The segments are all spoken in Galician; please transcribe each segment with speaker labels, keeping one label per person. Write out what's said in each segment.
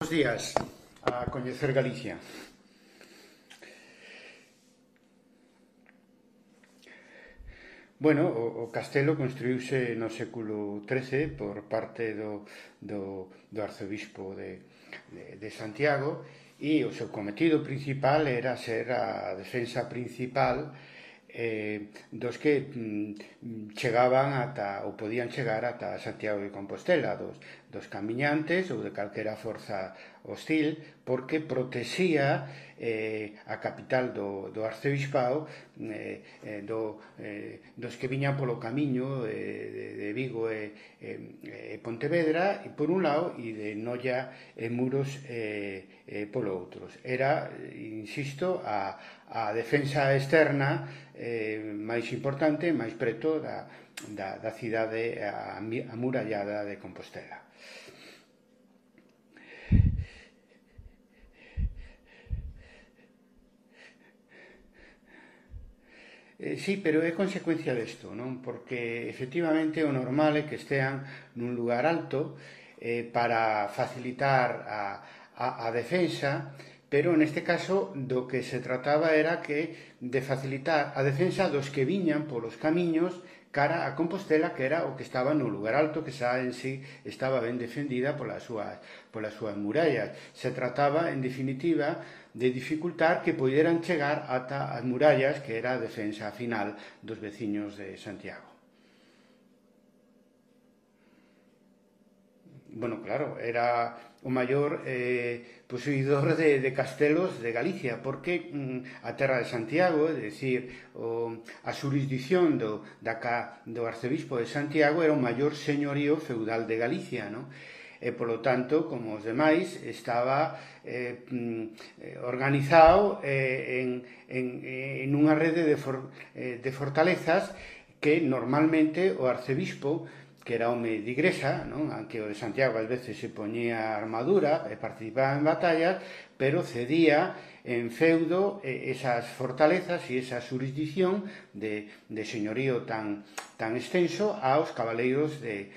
Speaker 1: Buenos días a coñecer Galicia. Bueno, o castelo construíuse no século XIII por parte do arcebispo de Santiago e o seu cometido principal era ser a defensa principal dos que chegaban ata ou podían chegar ata Santiago de Compostela, dos camiñantes ou de calquera forza hostil, porque protexía a capital do arcebispado dos que viñan polo camiño de Vigo e Pontevedra e por un lado e de Noia e Muros polo outro. Era, insisto, a defensa externa máis importante, máis preto da cidade amurallada de Compostela. Sí, pero é consecuencia desto, non? Porque efectivamente o normal é que estean nun lugar alto para facilitar a defensa, pero neste caso do que se trataba era de facilitar a defensa dos que viñan polos camiños cara a Compostela, que era o que estaba no lugar alto, que xa en sí estaba ben defendida polas súas murallas. Se trataba, en definitiva, de dificultar que poderan chegar ata as murallas, que era a defensa final dos veciños de Santiago. Bueno, claro, era o maior posuidor de castelos de Galicia, porque a terra de Santiago, é dicir, a xurisdición do arcebispo de Santiago era o maior señorío feudal de Galicia, non? E, polo tanto, como os demais, estaba organizado en unha rede de fortalezas que normalmente o arcebispo, que era home de igrexa, non? Aunque o de Santiago ás veces se poñía armadura e participaba en batallas, pero cedía en feudo esas fortalezas e esa xurisdición de señorío tan extenso aos cabaleiros de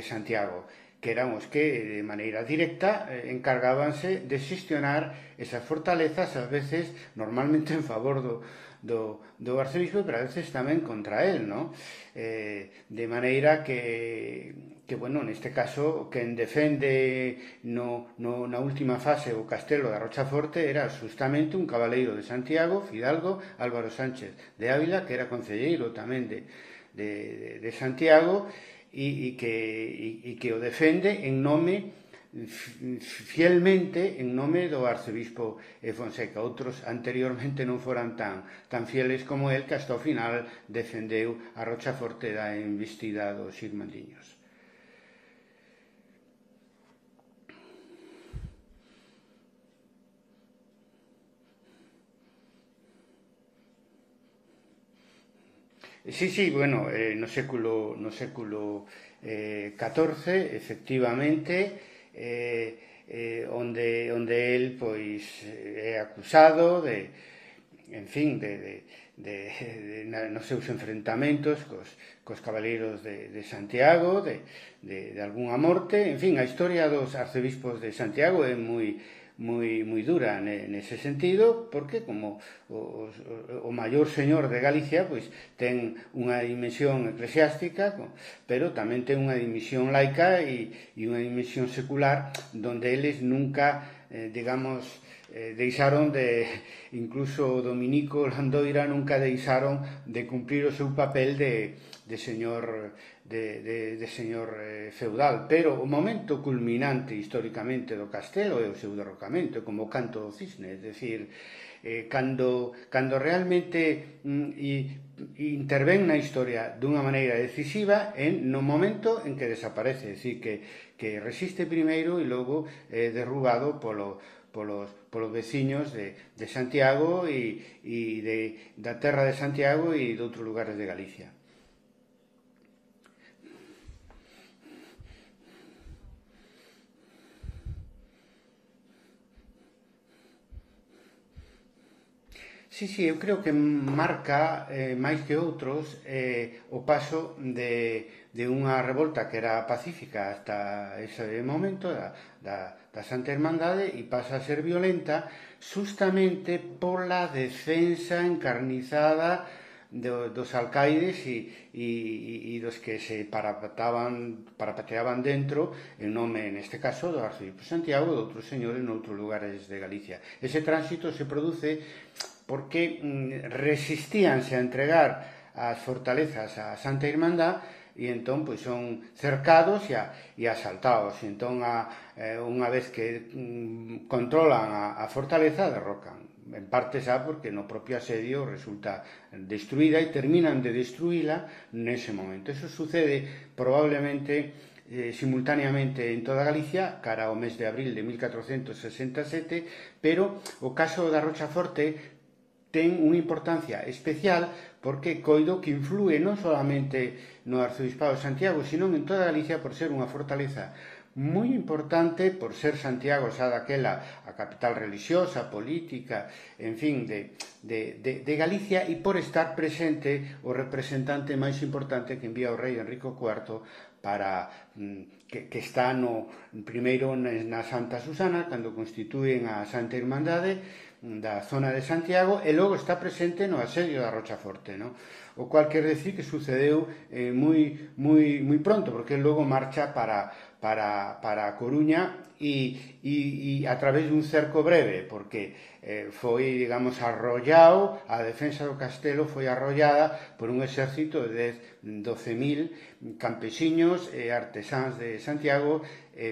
Speaker 1: Santiago, que eran os que de maneira directa encargábanse de xestionar esas fortalezas, ás veces normalmente en favor do arcebispo, pero a veces tamén contra él, non? De maneira que bueno, neste caso, quen defende na última fase o castelo da Rochaforte era justamente un cabaleiro de Santiago, Fidalgo Álvaro Sánchez de Ávila, que era concelleiro tamén de Santiago, e que o defende en nome fielmente en nome do arcebispo Fonseca. Outros anteriormente non foran tan fieles como el, que hasta o final defendeu a Rochaforte da embestida dos irmandiños. Sí, bueno, no século XIV, efectivamente, onde el pois é acusado en fin, nos seus enfrentamentos cos cabaleiros de Santiago, de algunha morte. En fin, a historia dos arcebispos de Santiago é moi dura nese sentido, porque como o maior señor de Galicia pois ten unha dimensión eclesiástica, pero tamén ten unha dimensión laica e unha dimensión secular, donde eles nunca, digamos, deixaron incluso Dominico Landoira nunca deixaron de cumprir o seu papel de señor feudal, pero o momento culminante históricamente do castelo é o seu derrocamento, como o canto do cisne, é dicir, cando realmente intervén na historia dunha maneira decisiva no momento en que desaparece, é dicir, que resiste primeiro e logo é derrubado polos veciños de Santiago e da terra de Santiago e de outros lugares de Galicia. Sí, eu creo que marca máis que outros o paso de unha revolta que era pacífica hasta ese momento da Santa Irmandade e pasa a ser violenta justamente pola defensa encarnizada dos alcaides e dos que se parapateaban dentro en nome, neste caso, do Arcebispo Santiago e de outros señores noutros lugares de Galicia. Ese tránsito se produce porque resistíanse a entregar as fortalezas a Santa Irmandad e entón pois son cercados e asaltados. E entón unha vez que controlan a fortaleza, derrocan. En parte xa porque no propio asedio resulta destruída e terminan de destruíla nese momento. Eso sucede probablemente simultaneamente en toda Galicia cara ao mes de abril de 1467, pero o caso da Rochaforte ten unha importancia especial porque coido que inflúe non solamente no Arcebispado de Santiago, sino en toda Galicia por ser unha fortaleza moi importante, por ser Santiago xa daquela a capital religiosa, política, en fin, de Galicia, e por estar presente o representante máis importante que envía o rei Enrico IV para que está primeiro na Santa Susana, cando constituen a Santa Irmandade da zona de Santiago, e logo está presente no asedio da Rochaforte, no? O cual quer decir que sucedeu moi pronto, porque logo marcha para a Coruña e a través dun cerco breve, porque foi, digamos, arrollado, a defensa do castelo foi arrollada por un exército de 12.000 campesiños e artesáns de Santiago,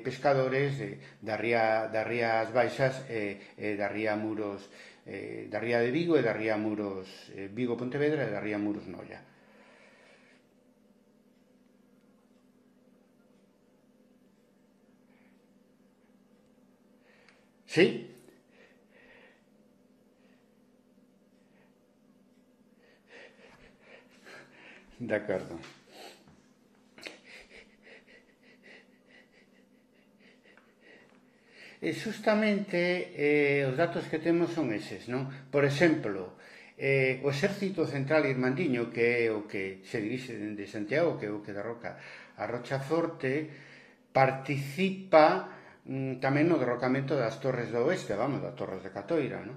Speaker 1: pescadores das Rías Baixas e da Ría Muros, da Ría de Vigo e da Ría Muros, Vigo-Pontevedra e da Ría Muros-Noia. Sí, de acordo. E justamente os datos que temos son eses, non? Por exemplo, o Exército Central Irmandiño, que é o que se dirixe dende Santiago, que é o que derroca a Rochaforte, participa tamén no derrocamento das Torres do Oeste, vamos, das Torres de Catoira, non?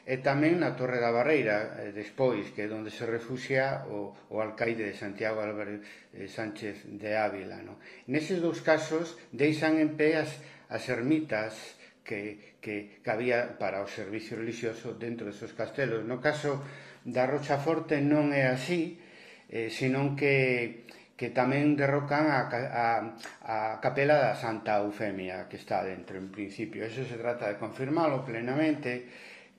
Speaker 1: E tamén na Torre da Barreira, despois, que é onde se refuxia o alcaide de Santiago, Álvaro Sánchez de Ávila, non? Neses dous casos deixan en pé as ermitas que había para o servicio religioso dentro desos castelos. No caso da Rochaforte non é así, senón que tamén derrocan a capela da Santa Eufemia que está dentro en principio. Eso se trata de confirmalo plenamente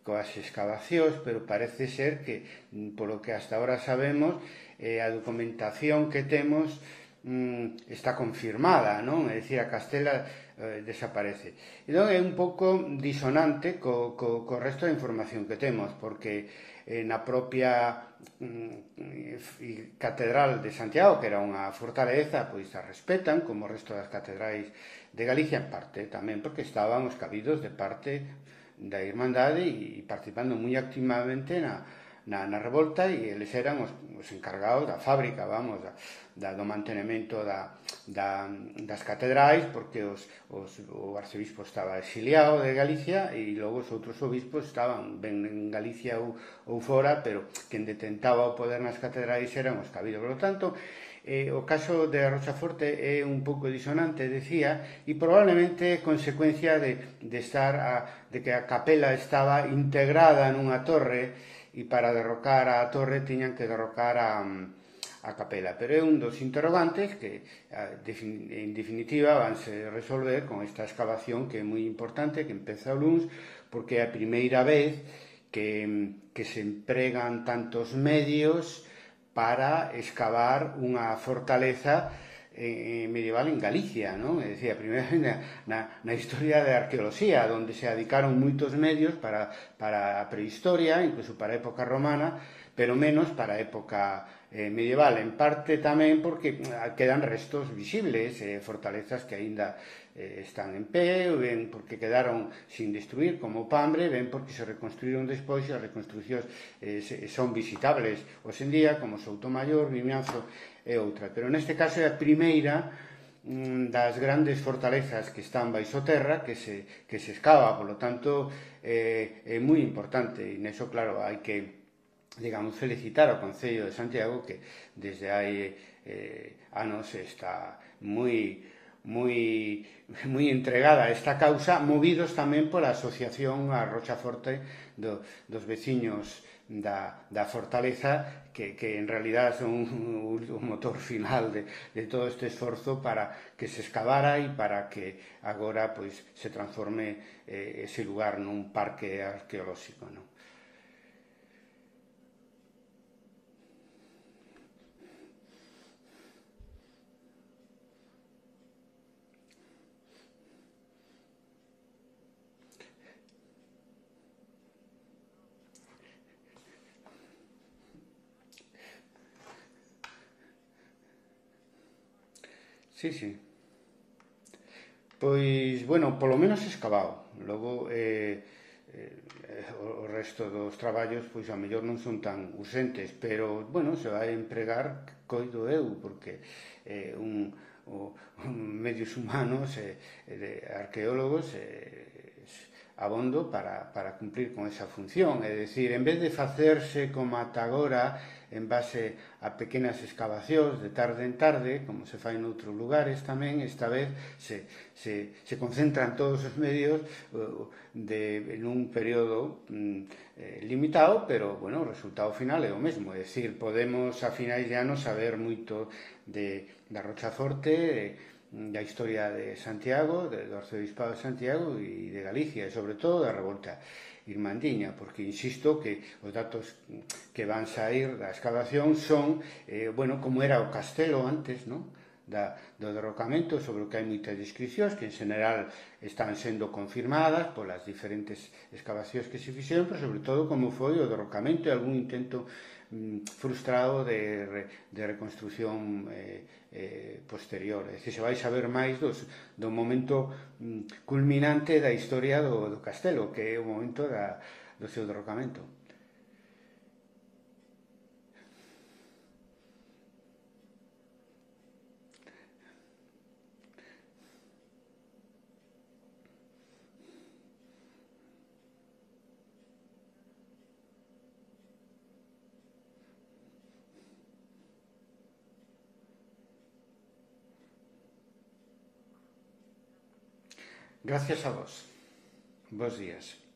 Speaker 1: coas excavacións, pero parece ser que, polo que hasta ahora sabemos, a documentación que temos está confirmada, non? É dicir, a castela desaparece. Entón é un pouco disonante co resto da información que temos, porque na propia Catedral de Santiago, que era unha fortaleza, pois a respetan como o resto das catedrais de Galicia, en parte tamén porque estaban os cabidos de parte da Irmandade e participando moi activamente na revolta, e eles eran os encargados da fábrica, vamos, do mantenimento das catedrais, porque o arcebispo estaba exiliado de Galicia e logo os outros obispos estaban ben en Galicia ou fora, pero quen detentaba o poder nas catedrais eran os cabidos. Por lo tanto, o caso de Rochaforte é un pouco disonante, decía, e probablemente consecuencia de que a capela estaba integrada nunha torre, e para derrocar a torre tiñan que derrocar a capela. Pero é un dos interrogantes que, en definitiva, vanse resolver con esta excavación que é moi importante, que empeza o luns, porque é a primeira vez que se empregan tantos medios para excavar unha fortaleza medieval en Galicia, non? É dicir, a primeira vez na historia da arqueoloxía, onde se dedicaron moitos medios para a prehistoria, incluso para a época romana, pero menos para a época medieval, en parte tamén porque quedan restos visibles, fortalezas que aínda están en pé, ben porque quedaron sin destruir como o Pambre, ben porque se reconstruíron despois e as reconstruccións son visitables hoxe en día, como Soutomaior, Vimianzo e outra. Pero neste caso é a primeira das grandes fortalezas que están baixo terra que se escava, polo tanto é moi importante, e neso claro hai que, digamos, felicitar ao Concello de Santiago que desde hai anos está moi entregada a esta causa, movidos tamén pola asociación a Rochaforte dos veciños da fortaleza que en realidad son o motor final de todo este esforzo para que se excavara e para que agora pois se transforme ese lugar nun parque arqueolóxico, non? Sí, sí. Pois, bueno, polo menos escavado. Logo, o resto dos traballos, pois, a mellor non son tan urgentes, pero, bueno, se vai empregar, coido eu, porque medios humanos de arqueólogos abondo para cumplir con esa función. É dicir, en vez de facerse como ata agora en base a pequenas excavacións de tarde en tarde, como se fai noutros lugares tamén, esta vez se concentran todos os medios en un período limitado, pero, bueno, o resultado final é o mesmo. É dicir, podemos a finais de ano saber moito da Rochaforte, da historia de Santiago, do arcebispado de Santiago e de Galicia, e sobre todo da revolta irmandiña, porque insisto que os datos que van sair da excavación son, bueno, como era o castelo antes, non? Do derrocamento, sobre o que hai moitas descripcións que en general están sendo confirmadas polas diferentes excavacións que se fixeron, pero sobre todo como foi o derrocamento e algún intento frustrado de reconstrucción posterior. É dicir, se vai saber máis do momento culminante da historia do castelo, que é o momento do seu derrocamento. Gracias a vos. Bos días.